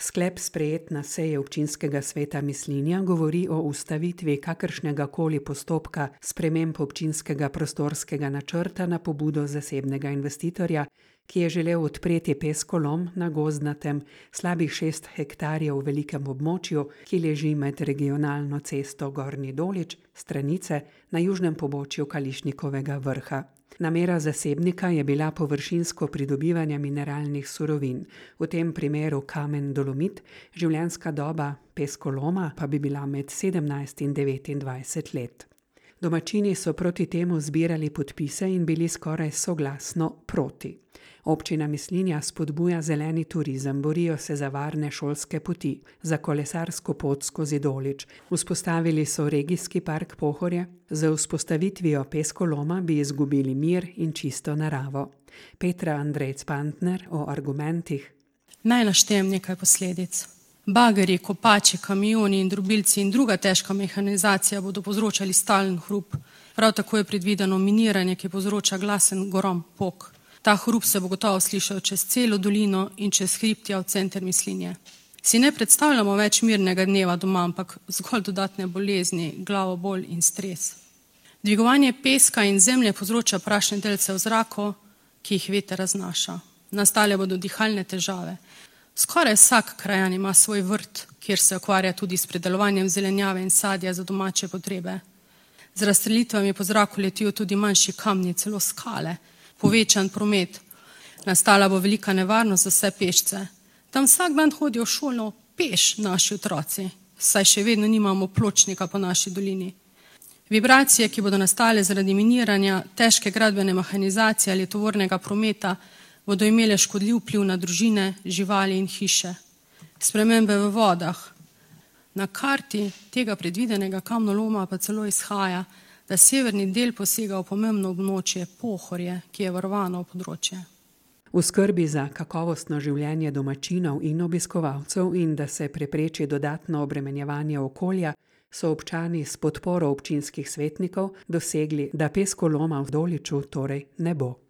Sklep sprejet na seji občinskega sveta Mislinja govori o ustavitvi kakršnega koli postopka sprememb občinskega prostorskega načrta na pobudo zasebnega investitorja, ki je želel odpreti peskolom na gozdnatem slabih 6 hektarjev velikem območju, ki leži med regionalno cesto Gornji Dolič, Stranice, na južnem pobočju Kališnikovega vrha. Namera zasebnika je bila površinsko pridobivanje mineralnih surovin, v tem primeru kamen dolomit, življenjska doba peskoloma pa bi bila med 17 in 29 let. Domačini so proti temu zbirali podpise in bili skoraj soglasno proti. Občina Mislinja spodbuja zeleni turizem, borijo se za varne šolske poti, za kolesarsko pot skozi Dolič. Vzpostavili so regijski park Pohorje, z vzpostavitvijo peskoloma bi izgubili mir in čisto naravo. Petra Andrejc-Pantner o argumentih. Naj naštejem nekaj posledic. Bageri, kopači, kamioni in drobilci in druga težka mehanizacija bodo povzročali stalen hrup. Prav tako je predvideno miniranje, ki povzroča glasen gorom pok. Ta hrup se bo gotovo slišal čez celo dolino in čez hribtja v center Mislinje. Si ne predstavljamo več mirnega dneva doma, ampak zgolj dodatne bolezni, glavobol in stres. Dvigovanje peska in zemlje povzroča prašne delce v zraku, ki jih veter raznaša. Nastale bodo dihalne težave. Skoraj vsak krajan ima svoj vrt, kjer se ukvarja tudi s predelovanjem zelenjave in sadja za domače potrebe. Z razstrelitvami po zraku letijo tudi manjši kamni, celo skale, povečan promet. Nastala bo velika nevarnost za vse pešce. Tam vsak dan hodijo v šolo peš naši otroci, saj še vedno nimamo pločnika po naši dolini. Vibracije, ki bodo nastale zaradi miniranja, težke gradbene mehanizacije ali tovornega prometa, bodo imele škodljiv vpliv na družine, živali in hiše. Spremembe v vodah. Na karti tega predvidenega kamnoloma pa celo izhaja, da severni del posega v pomembno območje Pohorje, ki je varovano področje. V skrbi za kakovostno življenje domačinov in obiskovalcev in da se prepreči dodatno obremenjevanje okolja, so občani s podporo občinskih svetnikov dosegli, da peskoloma v Doliču torej ne bo.